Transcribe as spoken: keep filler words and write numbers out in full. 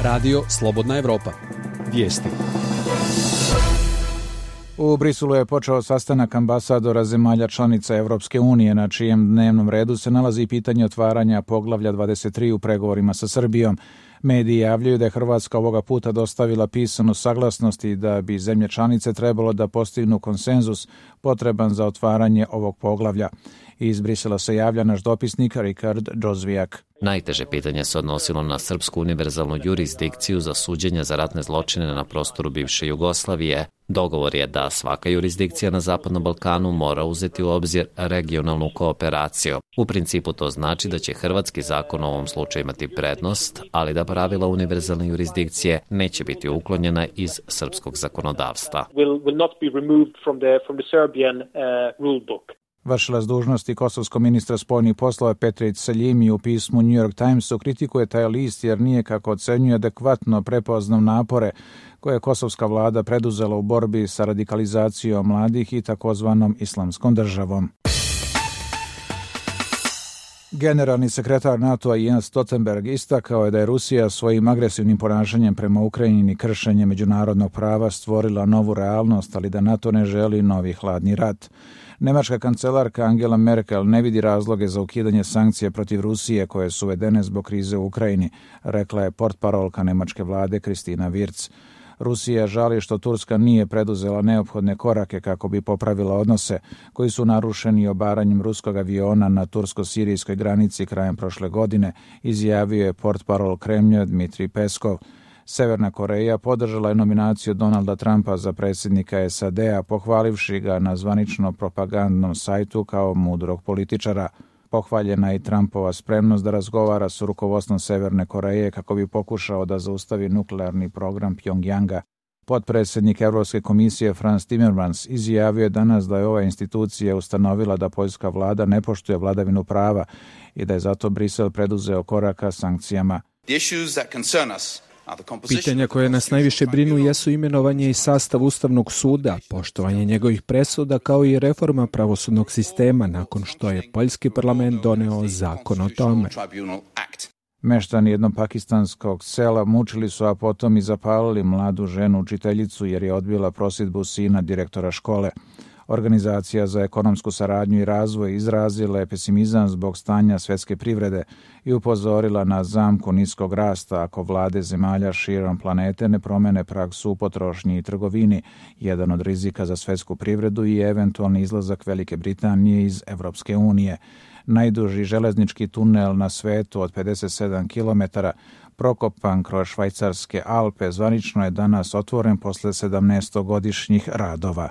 Radio Slobodna Evropa. Vijesti. U Briselu je počeo sastanak ambasadora zemalja članica Evropske unije, na čijem dnevnom redu se nalazi pitanje otvaranja poglavlja dvadeset tri u pregovorima sa Srbijom. Mediji javljaju da je Hrvatska ovoga puta dostavila pisanu saglasnost i da bi zemlje članice trebalo da postignu konsenzus potreban za otvaranje ovog poglavlja. Iz Brisela se javlja naš dopisnik Rikard Džozvijak. Najteže pitanje se odnosilo na srpsku univerzalnu jurisdikciju za suđenje za ratne zločine na prostoru bivše Jugoslavije. Dogovor je da svaka jurisdikcija na Zapadnom Balkanu mora uzeti u obzir regionalnu kooperaciju. U principu to znači da će hrvatski zakon u ovom slučaju imati prednost, ali da pravila univerzalne jurisdikcije neće biti uklonjena iz srpskog zakonodavstva. Will, will not be removed from the, from the Serbian, uh, rule book. Vršilac dužnosti kosovskog ministra spoljnih poslova Petrić Seljimi u pismu New York Timesu kritikuje taj list jer nije, kako ocenjuje, adekvatno prepoznao napore koje je kosovska vlada preduzela u borbi sa radikalizacijom mladih i takozvanom islamskom državom. Generalni sekretar NATO-a Jens Stoltenberg istakao je da je Rusija svojim agresivnim ponašanjem prema Ukrajini i kršenjem međunarodnog prava stvorila novu realnost, ali da NATO ne želi novi hladni rat. Nemačka kancelarka Angela Merkel ne vidi razloge za ukidanje sankcija protiv Rusije koje su uvedene zbog krize u Ukrajini, rekla je portparolka nemačke vlade Kristina Wirtz. Rusija žali što Turska nije preduzela neophodne korake kako bi popravila odnose koji su narušeni obaranjem ruskog aviona na tursko-sirijskoj granici krajem prošle godine, izjavio je portparol Kremlja Dmitrij Peskov. Severna Koreja podržala je nominaciju Donalda Trumpa za predsjednika S A D-a, pohvalivši ga na zvanično propagandnom sajtu kao mudrog političara. Pohvaljena je i Trumpova spremnost da razgovara s rukovodstvom Severne Koreje kako bi pokušao da zaustavi nuklearni program Pjongjanga. Potpredsjednik Europske komisije Frans Timmermans izjavio je danas da je ova institucija ustanovila da poljska vlada ne poštuje vladavinu prava i da je zato Brisel preduzeo koraka sankcijama. Pitanja koje nas najviše brinu jesu imenovanje i sastav Ustavnog suda, poštovanje njegovih presuda kao i reforma pravosudnog sistema nakon što je poljski parlament doneo zakon o tome. Meštani jednog pakistanskog sela mučili su, a potom i zapalili mladu ženu učiteljicu jer je odbila prosudbu sina direktora škole. Organizacija za ekonomsku saradnju i razvoj izrazila je pesimizam zbog stanja svjetske privrede i upozorila na zamku niskog rasta ako vlade zemalja širom planete ne promene praksu u potrošnji i trgovini, jedan od rizika za svjetsku privredu i eventualni izlazak Velike Britanije iz Evropske unije. Najduži železnički tunel na svetu od pedeset sedam kilometara, prokopan kroz švajcarske Alpe, zvanično je danas otvoren posle sedamnaestogodišnjih radova.